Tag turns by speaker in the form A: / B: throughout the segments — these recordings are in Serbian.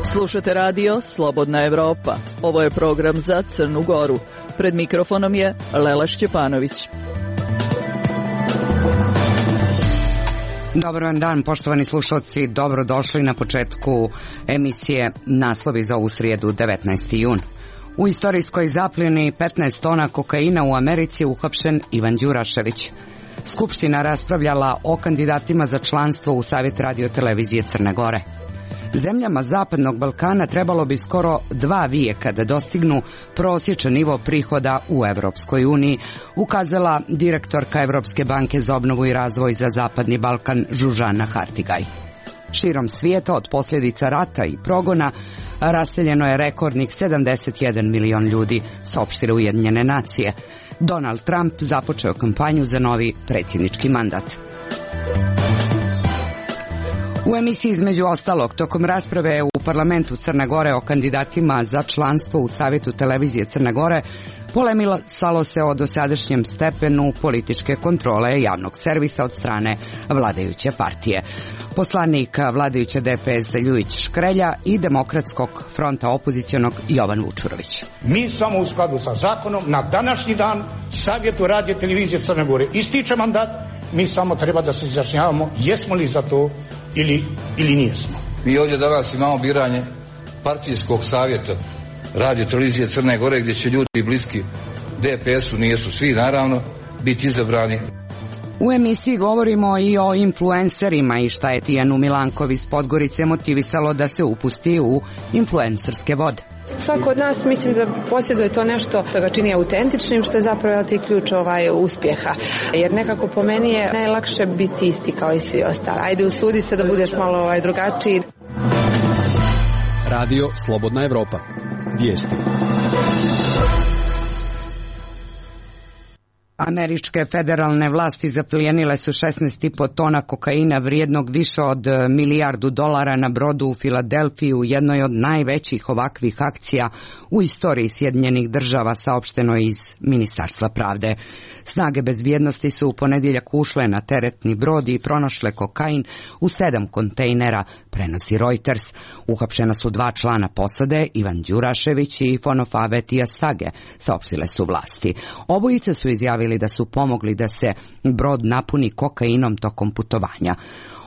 A: Slušate radio Slobodna Evropa. Ovo je program za Crnu Goru. Pred mikrofonom je Lela Šćepanović.
B: Dobar vam dan, poštovani slušalci. Dobrodošli na početku emisije Naslovi za ovu srijedu, 19. jun. U istorijskoj zapljeni 15 tona kokaina u Americi je uhapšen Ivan Đurašević. Skupština raspravljala o kandidatima za članstvo u Savjet radio-televizije Crne Gore. Zemljama Zapadnog Balkana trebalo bi skoro 2 vijeka da dostignu prosječan nivo prihoda u Evropskoj uniji, ukazala direktorka Evropske banke za obnovu i razvoj za Zapadni Balkan Zsuzsanna Hartigaj. Širom svijeta od posljedica rata i progona raseljeno je rekordnih 71 milion ljudi, saopštile Ujedinjene nacije. Donald Trump započeo kampanju za novi predsjednički mandat. U emisiji između ostalog, tokom rasprave u parlamentu Crne Gore o kandidatima za članstvo u Savjetu televizije Crne Gore, polemisalo se o dosadašnjem stepenu političke kontrole javnog servisa od strane vladajuće partije. Poslanik vladajuće DPS Ljujić Škrelja i Demokratskog fronta opozicionog Jovan Vučurović.
C: Mi samo u skladu sa zakonom na današnji dan Savjetu radio televizije Crne Gore ističe mandat, mi samo treba da se izjašnjavamo jesmo li za to ili nijesmo.
D: Mi ovdje danas imamo biranje partijskog savjeta radio televizije Crne Gore gdje će ljudi bliski DPS-u, nijesu svi naravno, biti izabrani.
B: U emisiji govorimo i o influencerima i šta je Tijanu Milanković iz Podgorice motivisalo da se upusti u influencerske vode.
E: Svako od nas mislim da posjeduje to nešto što ga čini autentičnim, što je zapravo ti ključ uspjeha. Jer nekako po meni je najlakše biti isti kao i svi ostali. Ajde, usudi se da budeš malo drugačiji.
F: Radio Slobodna Evropa. Vijesti.
B: Američke federalne vlasti zaplijenile su 16,5 tona kokaina vrijednog više od $1 milijardu na brodu u Filadelfiji u jednoj od najvećih ovakvih akcija u istoriji Sjedinjenih država, saopšteno iz Ministarstva pravde. Snage bezbjednosti su u ponedjeljak ušle na teretni brod i pronašle kokain u 7 kontejnera, prenosi Reuters. Uhapšena su 2 člana posade, Ivan Đurašević i Fonofabe Tiasage, saopštile su vlasti. Obojice su izjavili da su pomogli da se brod napuni kokainom tokom putovanja.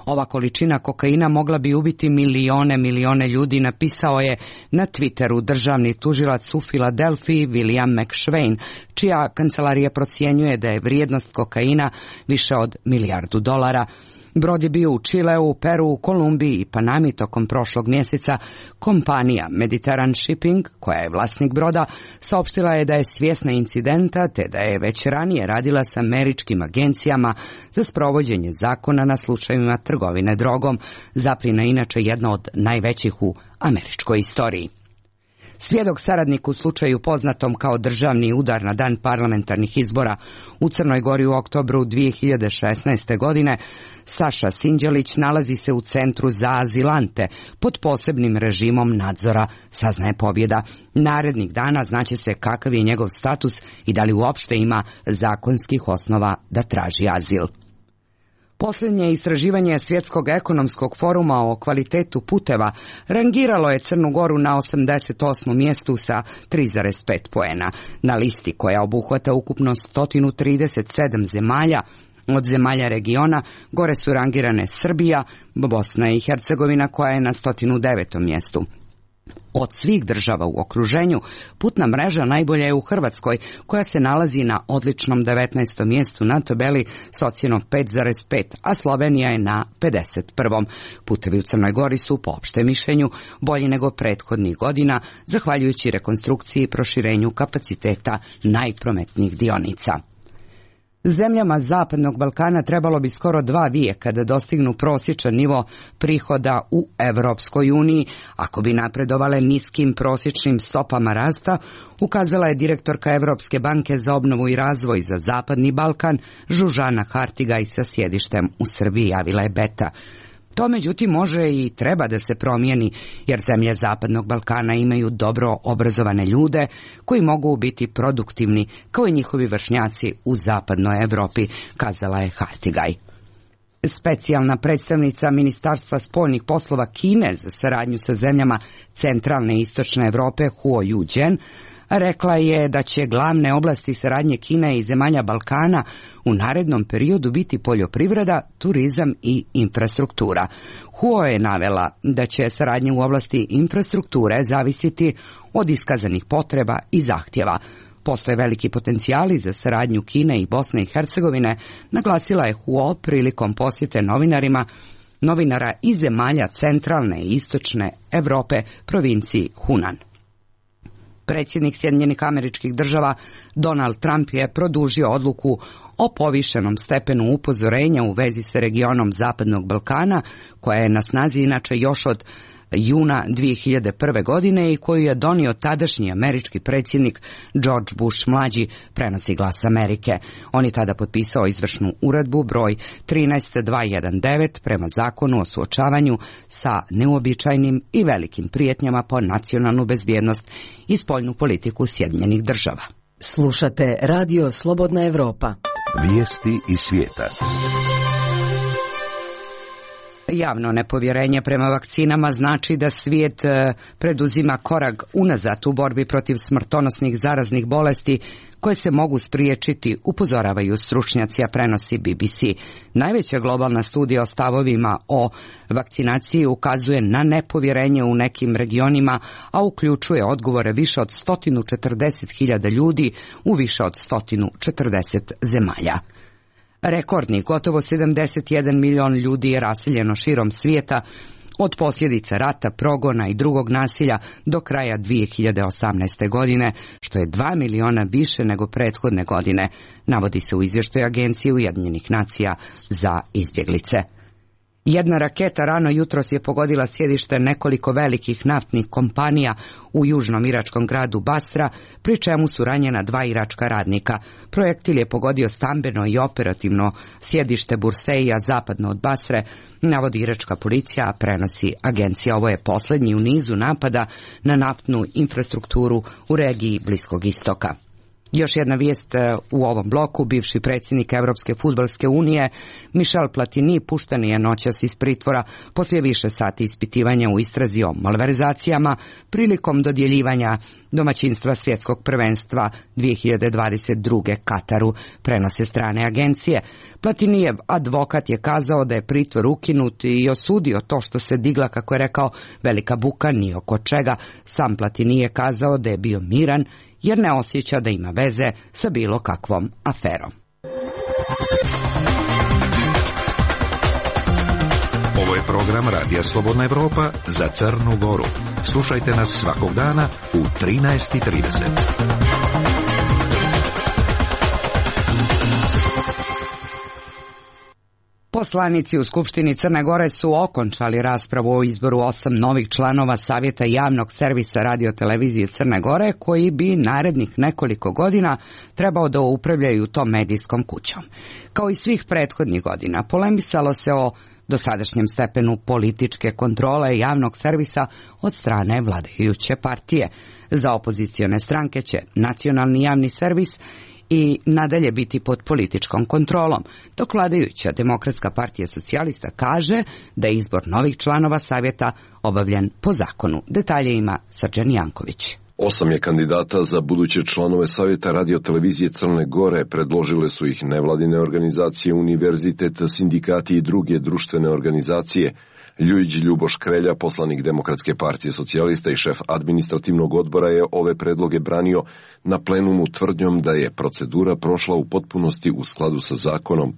B: Ova količina kokaina mogla bi ubiti milione ljudi, napisao je na Twitteru državni tužilac u Filadelfiji William McShane, čija kancelarija procjenjuje da je vrijednost kokaina više od $1 milijardu. Brod je bio u Čileu, Peru, Kolumbiji i Panami tokom prošlog mjeseca. Kompanija Mediterranean Shipping, koja je vlasnik broda, saopštila je da je svjesna incidenta te da je već ranije radila sa američkim agencijama za sprovođenje zakona na slučajevima trgovine drogom. Zapljena je inače jedna od najvećih u američkoj istoriji. Svjedok saradnik u slučaju poznatom kao državni udar na dan parlamentarnih izbora u Crnoj Gori u oktobru 2016. godine, Saša Sinđelić nalazi se u centru za azilante pod posebnim režimom nadzora, saznaje Pobjeda. Narednih dana znaće se kakav je njegov status i da li uopšte ima zakonskih osnova da traži azil. Posljednje istraživanje Svjetskog ekonomskog foruma o kvalitetu puteva rangiralo je Crnu Goru na 88. mjestu sa 3,5 poena. Na listi koja obuhvata ukupno 137 zemalja, od zemalja regiona gore su rangirane Srbija, Bosna i Hercegovina koja je na 109. mjestu. Od svih država u okruženju, putna mreža najbolja je u Hrvatskoj, koja se nalazi na odličnom 19. mjestu na tabeli s ocjenom 5,5, a Slovenija je na 51. Putevi u Crnoj Gori su, po opštem mišljenju, bolji nego prethodnih godina, zahvaljujući rekonstrukciji i proširenju kapaciteta najprometnijih dionica. Zemljama Zapadnog Balkana trebalo bi skoro 2 vijeka da dostignu prosječan nivo prihoda u Evropskoj uniji, ako bi napredovale niskim prosječnim stopama rasta, ukazala je direktorka Evropske banke za obnovu i razvoj za Zapadni Balkan Zsuzsanna Hartigaj sa sjedištem u Srbiji, javila je Beta. To međutim može i treba da se promijeni, jer zemlje Zapadnog Balkana imaju dobro obrazovane ljude koji mogu biti produktivni kao i njihovi vršnjaci u Zapadnoj Evropi, kazala je Hartigaj. Specijalna predstavnica Ministarstva spoljnih poslova Kine za saradnju sa zemljama centralne i istočne Evrope, Huo Yujian, rekla je da će glavne oblasti saradnje Kine i zemalja Balkana u narednom periodu biti poljoprivreda, turizam i infrastruktura. Huo je navela da će saradnja u oblasti infrastrukture zavisiti od iskazanih potreba i zahtjeva. Postoje veliki potencijali za saradnju Kine i Bosne i Hercegovine, naglasila je Huo prilikom posjete novinara iz zemalja centralne i istočne Evrope, provinciji Hunan. Predsjednik Sjedinjenih Američkih Država Donald Trump je produžio odluku o povišenom stepenu upozorenja u vezi sa regionom Zapadnog Balkana, koja je na snazi inače još od juna 2001. godine i koju je donio tadašnji američki predsjednik George Bush mlađi, prenosi Glas Amerike. On je tada potpisao izvršnu uredbu broj 13219 prema zakonu o suočavanju sa neuobičajenim i velikim prijetnjama po nacionalnu bezbjednost i spoljnu politiku Sjedinjenih Država.
G: Slušate Radio Slobodna Evropa.
H: Vijesti iz svijeta.
B: Javno nepovjerenje prema vakcinama znači da svijet preduzima korak unazad u borbi protiv smrtonosnih zaraznih bolesti koje se mogu spriječiti, upozoravaju stručnjaci, a prenosi BBC. Najveća globalna studija o stavovima o vakcinaciji ukazuje na nepovjerenje u nekim regionima, a uključuje odgovore više od 140.000 ljudi u više od 140 zemalja. Rekordni, gotovo 71 milion ljudi je raseljeno širom svijeta od posljedica rata, progona i drugog nasilja do kraja 2018. godine, što je 2 miliona više nego prethodne godine, navodi se u izvještaju Agencije Ujedinjenih nacija za izbjeglice. Jedna raketa rano jutros je pogodila sjedište nekoliko velikih naftnih kompanija u južnom iračkom gradu Basra, pri čemu su ranjena 2 iračka radnika. Projektil je pogodio stambeno i operativno sjedište Burseija zapadno od Basre, navodi iračka policija, a prenosi agencija. Ovo je posljednji u nizu napada na naftnu infrastrukturu u regiji Bliskog istoka. Još jedna vijest u ovom bloku. Bivši predsjednik Europske fudbalske unije Michel Platini pušten je noćas iz pritvora poslije više sati ispitivanja u istrazi o malverzacijama prilikom dodjeljivanja domaćinstva svjetskog prvenstva 2022. Kataru, prenose strane agencije. Platinijev advokat je kazao da je pritvor ukinut i osudio to što se digla, kako je rekao, velika buka ni oko čega. Sam Platini je kazao da je bio miran jer ne osjeća da ima veze sa bilo kakvom aferom.
H: Ovo je program Radija Slobodna Evropa za Crnu Goru. Slušajte nas svakog dana u 13:30.
B: Poslanici u Skupštini Crne Gore su okončali raspravu o izboru 8 novih članova Savjeta javnog servisa radiotelevizije Crne Gore, koji bi narednih nekoliko godina trebao da upravljaju tom medijskom kućom. Kao i svih prethodnih godina, polemisalo se o dosadašnjem stepenu političke kontrole javnog servisa od strane vladajuće partije. Za opozicione stranke će nacionalni javni servis i nadalje biti pod političkom kontrolom, dok vladajuća Demokratska partija socijalista kaže da je izbor novih članova savjeta obavljen po zakonu. Detalje ima Srđan Janković.
I: 8 je kandidata za buduće članove Savjeta radiotelevizije Crne Gore. Predložile su ih nevladine organizacije, univerzitet, sindikati i druge društvene organizacije. Ljujić Ljuboš Krelja, poslanik Demokratske partije socijalista i šef administrativnog odbora, je ove predloge branio na plenumu tvrdnjom da je procedura prošla u potpunosti u skladu sa zakonom.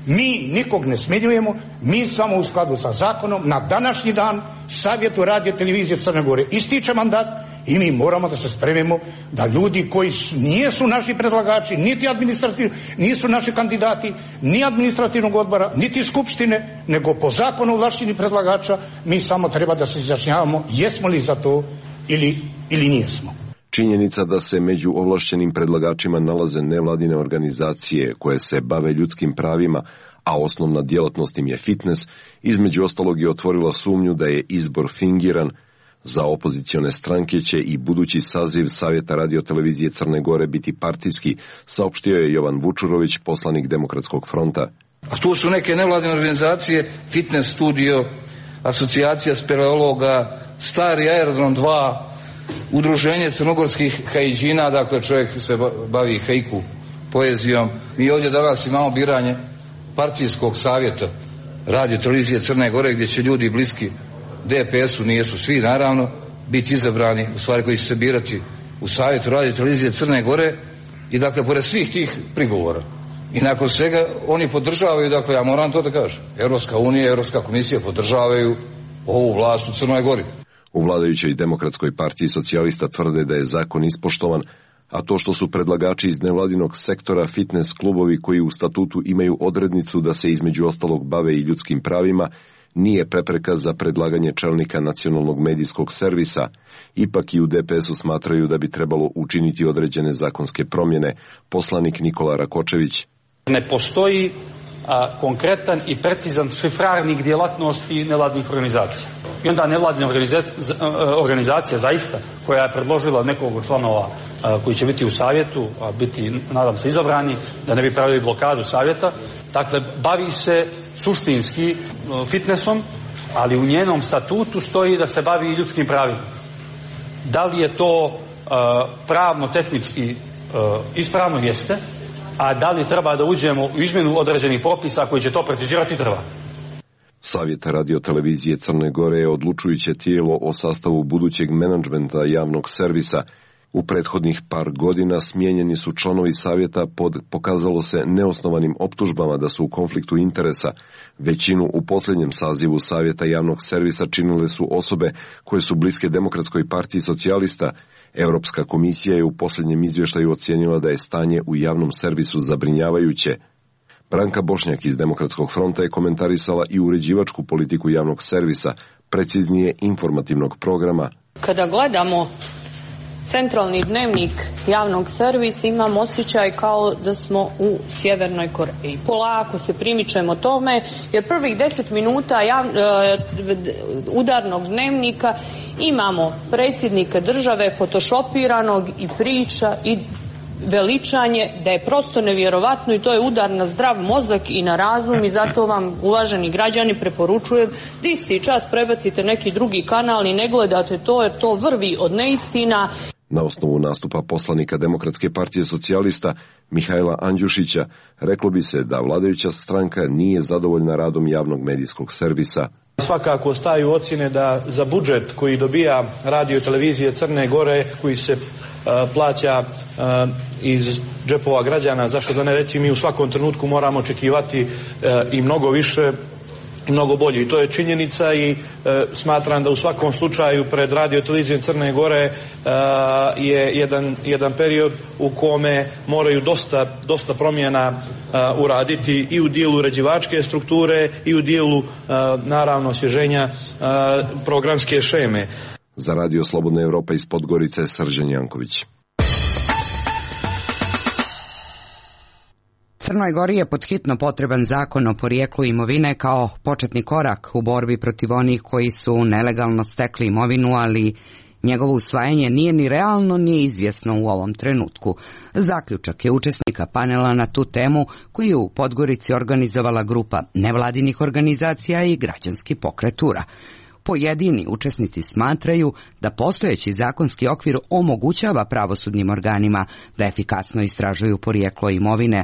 C: Mi nikog ne smjenjujemo, mi samo u skladu sa zakonom na današnji dan Savjetu radiotelevizije Crne Gore ističe mandat i mi moramo da se spremimo da ljudi koji nisu naši predlagači, niti administrativni, nisu naši kandidati, ni administrativnog odbora, niti skupštine, nego po zakonu ovlašteni predlagača, mi samo treba da se izjašnjavamo jesmo li za to ili nijesmo.
I: Činjenica da se među ovlašćenim predlagačima nalaze nevladine organizacije koje se bave ljudskim pravima, a osnovna djelatnost im je fitness, između ostalog je otvorila sumnju da je izbor fingiran. Za opozicione stranke će i budući saziv Savjeta radiotelevizije Crne Gore biti partijski, saopštio je Jovan Vučurović, poslanik Demokratskog fronta.
D: A tu su neke nevladine organizacije, Fitness studio, Asocijacija speleologa, Stari aerodrom 2, Udruženje crnogorskih haiđina, dakle čovjek se bavi haiku poezijom. Mi ovdje danas imamo biranje partijskog savjeta radiotelevizije Crne Gore, gdje će ljudi bliski DPS-u, nijesu svi naravno, biti izabrani, u stvari koji će se birati u savjetu radiotelevizije Crne Gore. I dakle, pored svih tih prigovora i nakon svega oni podržavaju, dakle ja moram to da kažem, Europska unija, Europska komisija podržavaju ovu vlast u Crnoj Gori.
I: U vladajućoj Demokratskoj partiji socijalista tvrde da je zakon ispoštovan, a to što su predlagači iz nevladinog sektora fitness klubovi koji u statutu imaju odrednicu da se između ostalog bave i ljudskim pravima, nije prepreka za predlaganje čelnika nacionalnog medijskog servisa. Ipak i u DPS-u smatraju da bi trebalo učiniti određene zakonske promjene. Poslanik Nikola Rakočević.
J: Ne postoji konkretan i precizan šifrarnik djelatnosti nevladnih organizacija. I onda nevladina organizacija zaista, koja je predložila nekog od članova koji će biti u savjetu, a biti, nadam se, izabrani, da ne bi pravili blokadu savjeta, dakle, bavi se suštinski fitnessom, ali u njenom statutu stoji da se bavi i ljudskim pravima. Da li je to pravno-tehnički ispravno? Jeste. A da li treba da uđemo u izmjenu određenih propisa koji će to precizirati? Treba.
I: Savjet radiotelevizije Crne Gore je odlučujuće tijelo o sastavu budućeg menadžmenta javnog servisa. U prethodnih par godina smijenjeni su članovi savjeta pod, pokazalo se, neosnovanim optužbama da su u konfliktu interesa. Većinu u posljednjem sazivu Savjeta javnog servisa činile su osobe koje su bliske Demokratskoj partiji socijalista. Europska komisija je u posljednjem izvještaju ocijenila da je stanje u javnom servisu zabrinjavajuće. Branka Bošnjak iz Demokratskog fronta je komentarisala i uređivačku politiku javnog servisa, preciznije informativnog programa.
K: Kada gledamo centralni dnevnik javnog servisa, imam osjećaj kao da smo u Sjevernoj Koreji. Polako se primičemo tome, jer prvih 10 minuta udarnog dnevnika imamo predsjednika države fotošopiranog i priča i veličanje da je prosto nevjerovatno i to je udar na zdrav mozak i na razum i zato vam, uvaženi građani, preporučujem da isti čas prebacite neki drugi kanal i ne gledate to jer to vrvi od neistina.
I: Na osnovu nastupa poslanika Demokratske partije socijalista Mihajla Andjušića reklo bi se da vladajuća stranka nije zadovoljna radom javnog medijskog servisa.
L: Svakako staju ocjene da za budžet koji dobija radio televizije Crne Gore, koji se plaća iz džepova građana, zašto da ne reći, mi u svakom trenutku moramo očekivati i mnogo više, mnogo bolje. I to je činjenica i smatram da u svakom slučaju pred radio televizijom Crne Gore je jedan period u kome moraju dosta promjena uraditi i u dijelu uređivačke strukture i u dijelu naravno osvježenja programske šeme.
I: Za Radio Slobodna Evropa iz Podgorice, Srđan Janković.
B: Crnoj Gori je podhitno potreban zakon o porijeklu imovine kao početni korak u borbi protiv onih koji su nelegalno stekli imovinu, ali njegovo usvajanje nije ni realno ni izvjesno u ovom trenutku. Zaključak je učesnika panela na tu temu koji je u Podgorici organizovala grupa nevladinih organizacija i građanski pokret URA. Pojedini učesnici smatraju da postojeći zakonski okvir omogućava pravosudnim organima da efikasno istražuju porijeklo imovine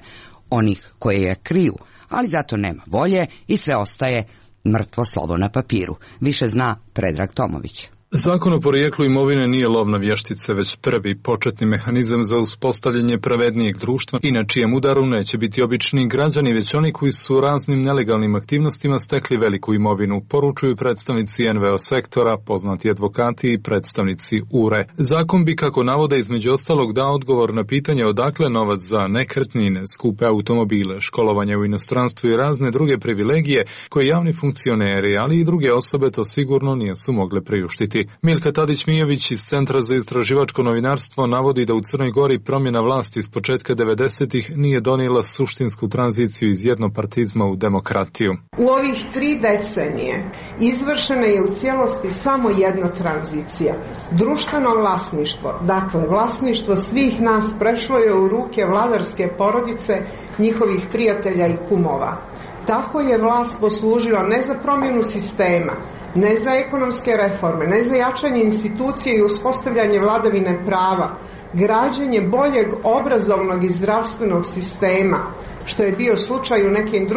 B: onih koje je kriju, ali zato nema volje i sve ostaje mrtvo slovo na papiru. Više zna Predrag Tomović.
M: Zakon o porijeklu imovine nije lov na vještice, već prvi početni mehanizam za uspostavljanje pravednijeg društva i na čijem udaru neće biti obični građani, već oni koji su raznim nelegalnim aktivnostima stekli veliku imovinu, poručuju predstavnici NVO sektora, poznati advokati i predstavnici URE. Zakon bi, kako navode, između ostalog dao odgovor na pitanje odakle novac za nekretnine, skupe automobile, školovanje u inostranstvu i razne druge privilegije koje javni funkcioneri, ali i druge osobe to sigurno nisu mogle priuštiti. vlasti. Milka Tadić-Mijović iz Centra za istraživačko novinarstvo navodi da u Crnoj Gori promjena vlasti s početka 90-ih nije donijela suštinsku tranziciju iz jednopartizma u demokratiju.
N: U ovih 3 decenije izvršena je u cijelosti samo jedna tranzicija. Društveno vlasništvo, dakle vlasništvo svih nas prešlo je u ruke vladarske porodice, njihovih prijatelja i kumova. Tako je vlast poslužila ne za promjenu sistema, ne za ekonomske reforme, ne za jačanje institucije i uspostavljanje vladavine prava, građenje boljeg obrazovnog i zdravstvenog sistema, što je bio slučaj u nekim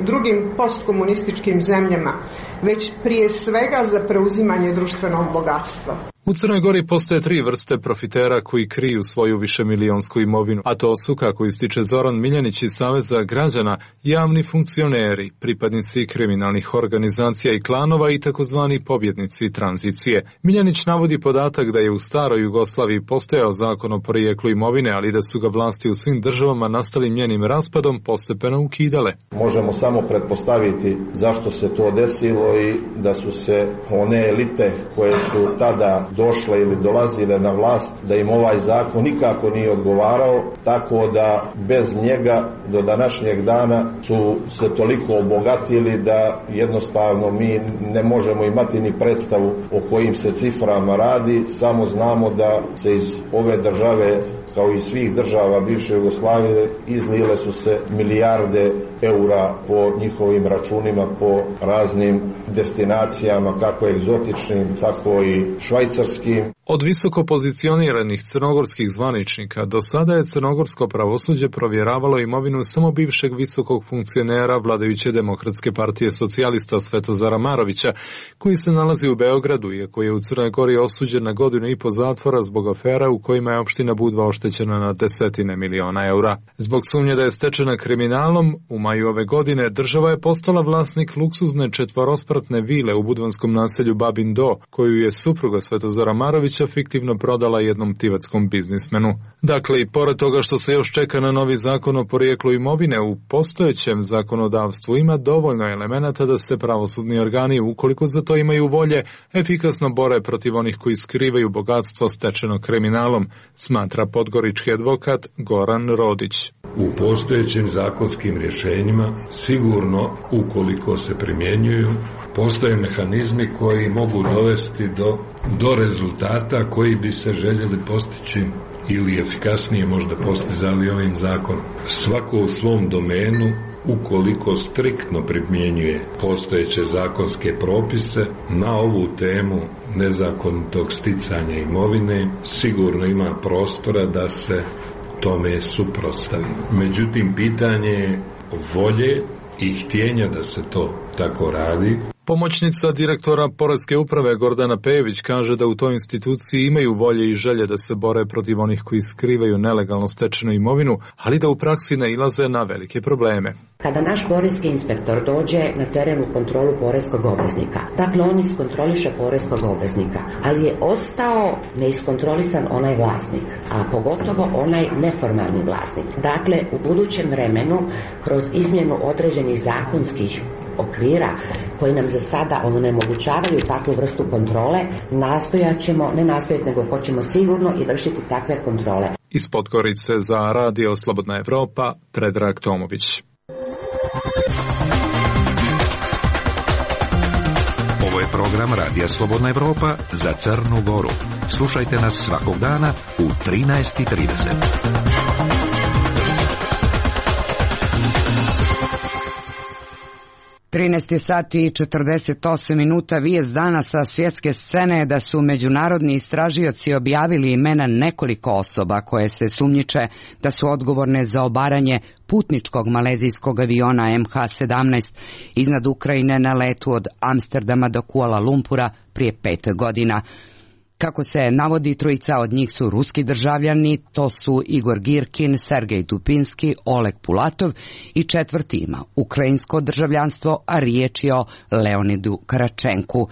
N: drugim postkomunističkim zemljama, već prije svega za preuzimanje društvenog bogatstva.
M: U Crnoj Gori postoje 3 vrste profitera koji kriju svoju višemilijonsku imovinu, a to su, kako ističe Zoran Miljanić iz Saveza građana, javni funkcioneri, pripadnici kriminalnih organizacija i klanova i takozvani pobjednici tranzicije. Miljanić navodi podatak da je u staroj Jugoslaviji postojao zakon o porijeklu imovine, ali da su ga vlasti u svim državama nastalim njenim raspadom postepeno ukidale.
O: Možemo samo pretpostaviti zašto se to desilo i da su se one elite koje su tada došle ili dolazile na vlast, da im ovaj zakon nikako nije odgovarao, tako da bez njega do današnjeg dana su se toliko obogatili da jednostavno mi ne možemo imati ni predstavu o kojim se ciframa radi, samo znamo da se iz ove države, kao i svih država bivše Jugoslavije, izlile su se milijarde eura po njihovim računima, po raznim destinacijama, kako egzotičnim, tako i švajcarskim.
M: Od visoko pozicioniranih crnogorskih zvaničnika do sada je crnogorsko pravosuđe provjeravalo imovinu samo bivšeg visokog funkcionera vladajuće Demokratske partije socijalista Svetozara Marovića, koji se nalazi u Beogradu, iako je u Crnoj Gori osuđen na 1,5 godine zatvora zbog afera u kojima je opština Budva oštećena na desetine miliona eura. Zbog sumnje da je stečena kriminalom, u maju ove godine država je postala vlasnik luksuzne 4-spratne vile u budvanskom naselju Babin Do, koju je supruga Svetozara Marovića fiktivno prodala jednom tivatskom biznismenu. Dakle, i pored toga što se još čeka na novi zakon o porijeklu imovine, u postojećem zakonodavstvu ima dovoljno elemenata da se pravosudni organi, ukoliko za to imaju volje, efikasno bore protiv onih koji skrivaju bogatstvo stečeno kriminalom, smatra podgorički advokat Goran Rodić.
P: U postojećim zakonskim rješenjima sigurno, ukoliko se primjenjuju, postoje mehanizmi koji mogu dovesti do rezultata koji bi se željeli postići ili efikasnije možda postizali ovim zakonom. Svako u svom domenu, ukoliko striktno primjenjuje postojeće zakonske propise na ovu temu nezakonitog sticanja imovine, sigurno ima prostora da se tome suprotstavi. Međutim, pitanje je volje i htjenja da se to tako radi.
M: Pomoćnica direktora Poreske uprave Gordana Pejević kaže da u toj instituciji imaju volje i želje da se bore protiv onih koji skrivaju nelegalno stečenu imovinu, ali da u praksi nailaze na velike probleme.
Q: Kada naš poreski inspektor dođe na teren u kontrolu poreskog obveznika, dakle on iskontroliše poreskog obveznika, ali je ostao neiskontrolisan onaj vlasnik, a pogotovo onaj neformalni vlasnik. Dakle, u budućem vremenu, kroz izmjenu određenih zakonskih okvira koji nam za sada onemogućavaju takvu vrstu kontrole, hoćemo sigurno i vršiti takve kontrole.
M: Iz Podgorice za Radio Slobodna Evropa, Predrag Tomović.
H: Ovo je program Radija Slobodna Evropa za Crnu Goru. Slušajte nas svakog dana u 13:30.
B: 13 sati i 48 minuta. Vijest dana sa svjetske scene je da su međunarodni istražioci objavili imena nekoliko osoba koje se sumnjiče da su odgovorne za obaranje putničkog malezijskog aviona MH17 iznad Ukrajine na letu od Amsterdama do Kuala Lumpura prije 5 godina. Kako se navodi, trojica od njih su ruski državljani, to su Igor Girkin, Sergej Dupinski, Oleg Pulatov i četvrti ima ukrajinsko državljanstvo, a riječ je o Leonidu Karačenku.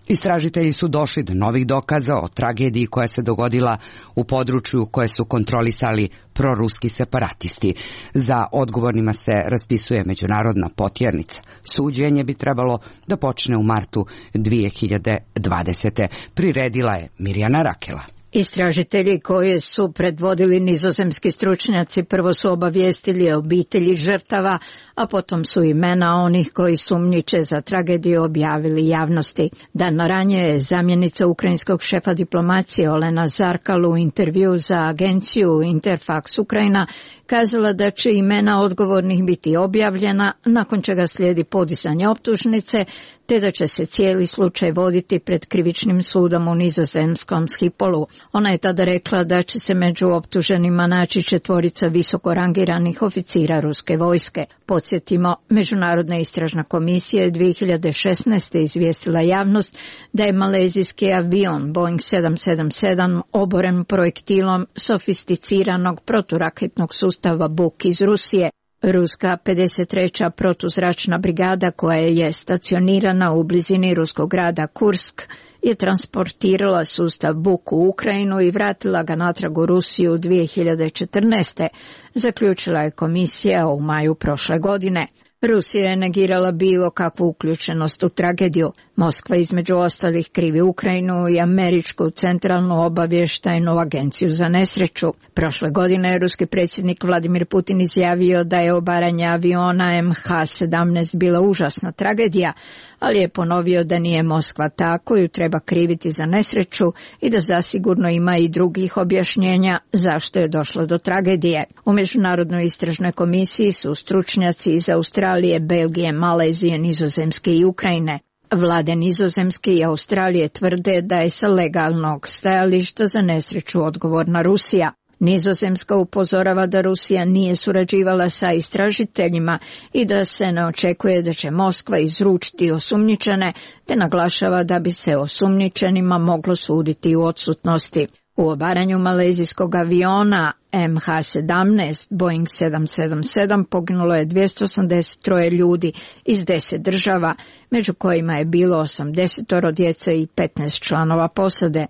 B: Istražitelji su došli do novih dokaza o tragediji koja se dogodila u području koje su kontrolisali proruski separatisti. Za odgovornima se raspisuje međunarodna potjernica. Suđenje bi trebalo da počne u martu 2020. Priredila je Mirjana Rakela.
R: Istražitelji koje su predvodili nizozemski stručnjaci prvo su obavijestili obitelji žrtava, a potom su imena onih koji sumnjiče za tragediju objavili javnosti. Dan ranije je zamjenica ukrajinskog šefa diplomacije Olena Zarkal u intervju za agenciju Interfax Ukrajina kazala da će imena odgovornih biti objavljena, nakon čega slijedi podizanje optužnice, te da će se cijeli slučaj voditi pred krivičnim sudom u nizozemskom Schipolu. Ona je tada rekla da će se među optuženima naći 4 visoko rangiranih oficira ruske vojske. Podsjetimo, Međunarodna istražna komisija je 2016. izvijestila javnost da je malezijski avion Boeing 777 oboren projektilom sofisticiranog proturaketnog sustava Buk iz Rusije. Ruska 53. protuzračna brigada koja je stacionirana u blizini ruskog grada Kursk je transportirala sustav Buk u Ukrajinu i vratila ga natrag u Rusiju 2014. Zaključila je komisija u maju prošle godine. Rusija je negirala bilo kakvu uključenost u tragediju. Moskva između ostalih krivi Ukrajinu i Američku centralnu obavještajnu agenciju za nesreću. Prošle godine je ruski predsjednik Vladimir Putin izjavio da je obaranje aviona MH17 bila užasna tragedija, ali je ponovio da nije Moskva ta koju treba kriviti za nesreću i da zasigurno ima i drugih objašnjenja zašto je došlo do tragedije. U Međunarodnoj istražnoj komisiji su stručnjaci iz Australije, Belgije, Malezije, Nizozemske i Ukrajine. Vlade Nizozemske i Australije tvrde da je sa legalnog stajališta za nesreću odgovorna Rusija. Nizozemska upozorava da Rusija nije surađivala sa istražiteljima i da se ne očekuje da će Moskva izručiti osumnjičene, te naglašava da bi se osumnjičenima moglo suditi u odsutnosti. U obaranju malezijskog aviona MH17 Boeing 777 poginulo je 283 ljudi iz 10 država, među kojima je bilo 80 djece i 15 članova posade.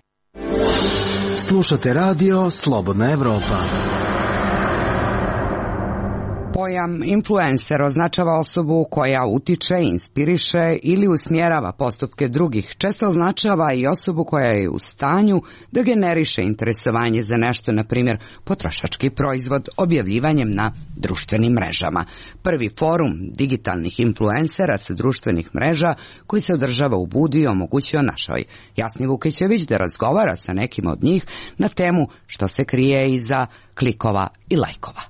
S: Slušate radio Slobodna Evropa.
B: Pojam influencer označava osobu koja utiče, inspiriše ili usmjerava postupke drugih. Često označava i osobu koja je u stanju da generiše interesovanje za nešto, na primjer potrošački proizvod, objavljivanjem na društvenim mrežama. Prvi forum digitalnih influencera sa društvenih mreža koji se održava u Budvi omogućio našoj Jasni Vukićević da razgovara sa nekim od njih na temu što se krije iza klikova i lajkova.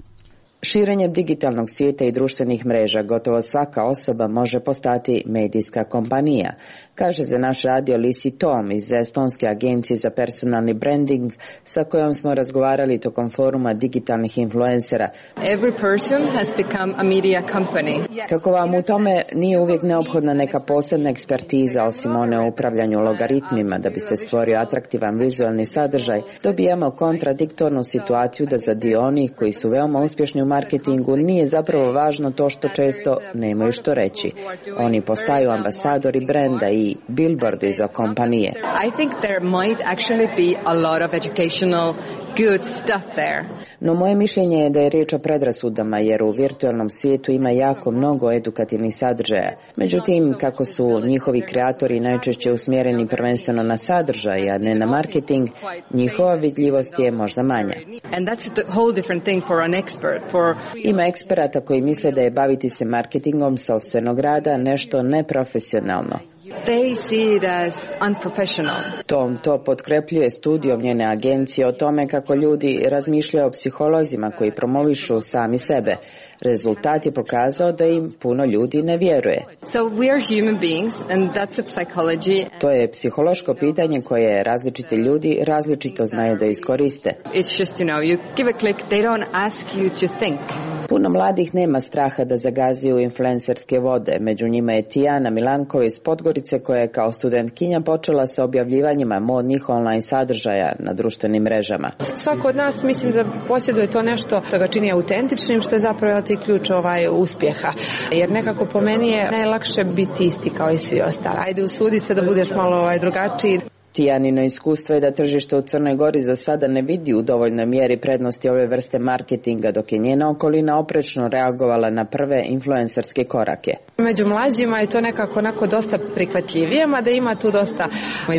Q: Širenjem digitalnog svijeta i društvenih mreža gotovo svaka osoba može postati medijska kompanija, kaže za naš radio Lisi Tom iz Estonske agencije za personalni branding sa kojom smo razgovarali tokom foruma digitalnih influencera.
T: Every person has become a media company.
Q: Kako vam u tome nije uvijek neophodna neka posebna ekspertiza osim one o upravljanju logaritmima da bi se stvorio atraktivan vizualni sadržaj, dobijamo kontradiktornu situaciju da za dio onih koji su veoma uspješni u marketingu nije zapravo važno to što često nemaju što reći. Oni postaju ambasadori brenda i billboardi za kompanije.
T: I think there might actually be a lot of educational good stuff there.
Q: No moje mišljenje je da je riječ o predrasudama jer u virtualnom svijetu ima jako mnogo edukativnih sadržaja. Međutim, kako su njihovi kreatori najčešće usmjereni prvenstveno na sadržaj, a ne na marketing, njihova vidljivost je možda manja.
T: And that's a whole different thing for an expert.
Q: Ima eksperata koji misle da je baviti se marketingom sopstvenog rada nešto neprofesionalno.
T: They see it as unprofessional.
Q: Tom to potkrepljuje studijom njene agencije o tome kako ljudi razmišljaju o psiholozima koji promovišu sami sebe. Rezultat je pokazao da im puno ljudi ne vjeruje.
T: So we are human beings and that's a psychology.
Q: To je psihološko pitanje koje različiti ljudi različito znaju da iskoriste.
T: It's just, you give a click, they don't ask you to think.
U: Puno mladih nema straha da zagazuju influencerske vode. Među njima je Tijana Milankova iz Podgorice koja je kao studentkinja počela sa objavljivanjima modnih online sadržaja na društvenim mrežama.
E: Svako od nas mislim da posjeduje to nešto što ga čini autentičnim, što je zapravo ključ uspjeha. Jer nekako po meni je najlakše biti isti kao i svi ostali. Ajde usudi se da budeš malo drugačiji.
U: Tijanino iskustvo je da tržište u Crnoj Gori za sada ne vidi u dovoljnoj mjeri prednosti ove vrste marketinga, dok je njena okolina oprečno reagovala na prve influencerske korake.
E: Među mlađima je to nekako onako dosta prihvatljivije, mada ima tu dosta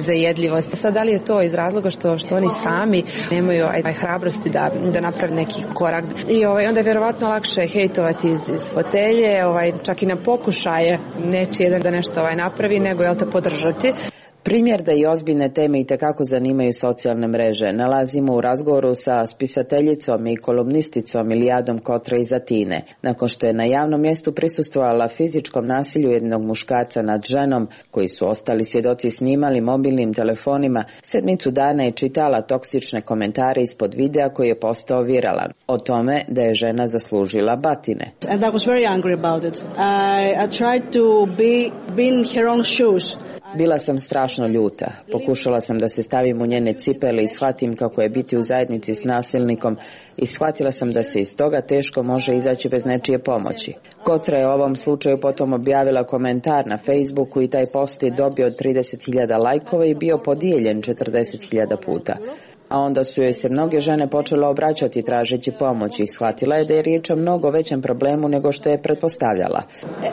E: zajedljivosti. Sad, da li je to iz razloga što oni sami nemaju hrabrosti da naprave neki korak. I onda je vjerovatno lakše hejtovati iz fotelje, čak i na pokušaje nečije da nešto napravi, nego te podržati.
U: Primjer da i ozbiljne teme itekako zanimaju socijalne mreže nalazimo u razgovoru sa spisateljicom i kolumnisticom Ilijadom Kotra iz Atine. Nakon što je na javnom mjestu prisustvovala fizičkom nasilju jednog muškarca nad ženom, koji su ostali svjedoci snimali mobilnim telefonima, 7 dana je čitala toksične komentare ispod videa koji je postao viralan. O tome da je žena zaslužila batine.
V: And I was very angry about it. I tried to be in her own shoes.
U: Bila sam strašno ljuta. Pokušala sam da se stavim u njene cipele i shvatim kako je biti u zajednici s nasilnikom i shvatila sam da se iz toga teško može izaći bez nečije pomoći. Kotra je u ovom slučaju potom objavila komentar na Facebooku i taj post je dobio 30.000 lajkova i bio podijeljen 40.000 puta. A onda su joj se mnoge žene počele obraćati tražeći pomoć i shvatila je da je riječ o mnogo većem problemu nego što je pretpostavljala.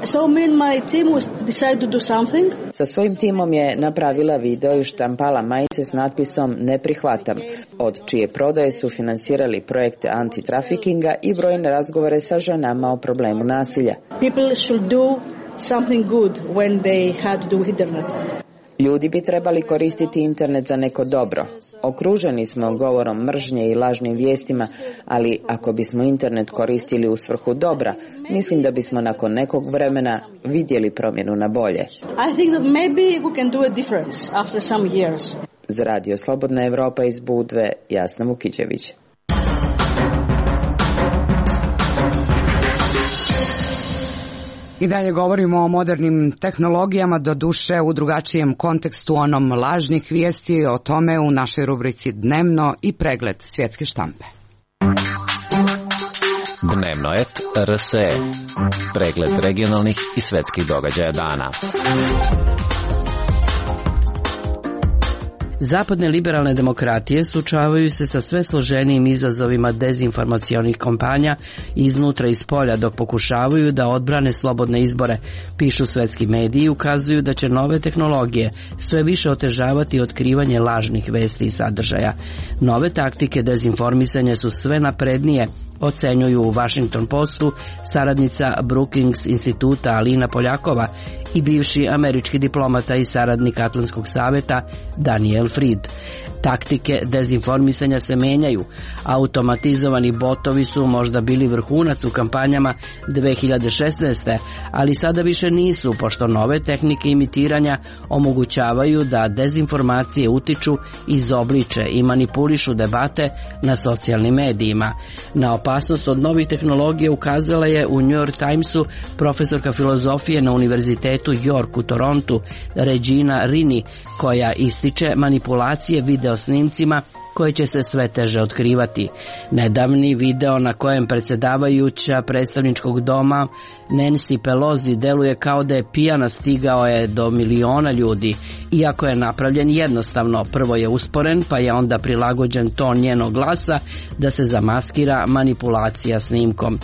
V: So me and my team decided to do something.
U: Sa svojim timom je napravila video i štampala majice s natpisom "Ne prihvatam", od čije prodaje su finansirali projekte antitrafikinga i brojne razgovore sa ženama o problemu nasilja.
V: People should do something good when they had to do internet.
U: Ljudi bi trebali koristiti internet za neko dobro. Okruženi smo govorom mržnje i lažnim vijestima, ali ako bismo internet koristili u svrhu dobra, mislim da bismo nakon nekog vremena vidjeli promjenu na bolje.
V: I think that maybe we can do a difference after some years.
U: Za Radio Slobodna Evropa iz Budve, Jasna Vukićević.
B: I dalje govorimo o modernim tehnologijama, do duše u drugačijem kontekstu, onom lažnih vijesti, o tome u našoj rubrici Dnevno i pregled svjetske štampe.
W: Dnevno et RSE, pregled regionalnih i svjetskih događaja dana.
X: Zapadne liberalne demokratije suočavaju se sa sve složenijim izazovima dezinformacionih kampanja iznutra i spolja dok pokušavaju da odbrane slobodne izbore, pišu svetski mediji i ukazuju da će nove tehnologije sve više otežavati otkrivanje lažnih vesti i sadržaja. Nove taktike dezinformisanja su sve naprednije, ocenjuju u Washington Postu saradnica Brookings instituta Alina Poljakova i bivši američki diplomata i saradnik Atlantskog saveta Daniel Fried. Taktike dezinformisanja se menjaju. Automatizovani botovi su možda bili vrhunac u kampanjama 2016. ali sada više nisu, pošto nove tehnike imitiranja omogućavaju da dezinformacije utiču, izobliče i manipulišu debate na socijalnim medijima. Na opasnost od novih tehnologija ukazala je u New York Timesu profesorka filozofije na Univerzitetu York u Torontu Regina Rini, koja ističe manipulacije videosnimcima koje će se sve teže otkrivati. Nedavni video na kojem predsjedavajuća predstavničkog doma Nancy Pelosi deluje kao da je pijana, stigao je do miliona ljudi. Iako je napravljen jednostavno, prvo je usporen pa je onda prilagođen ton njenog glasa da se zamaskira manipulacija snimkom.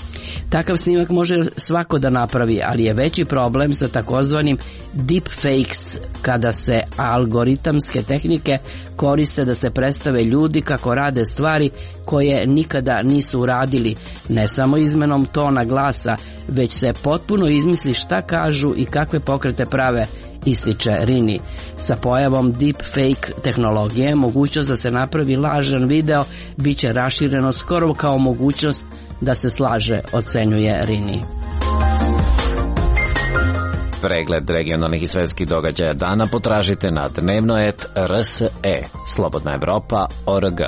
X: Takav snimak može svako da napravi, ali je veći problem sa takozvanim deepfakes, kada se algoritamske tehnike koriste da se predstave ljudi kako rade stvari koje nikada nisu uradili, ne samo izmenom tona glasa, već se potpuno izmisli šta kažu i kakve pokrete prave, ističe Rini. Sa pojavom deepfake tehnologije, mogućnost da se napravi lažan video bit će rašireno skoro kao mogućnost da se slaže, ocenjuje Rini.
W: Pregled regionalnih i svjetskih događaja dana potražite na dnevno.rs.e, Slobodna Evropa.org.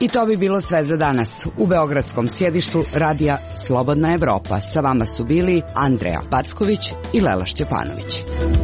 B: I to bi bilo sve za danas. U beogradskom sjedištu radija Slobodna Evropa sa vama su bili Andreja Packović i Lela Šćepanović.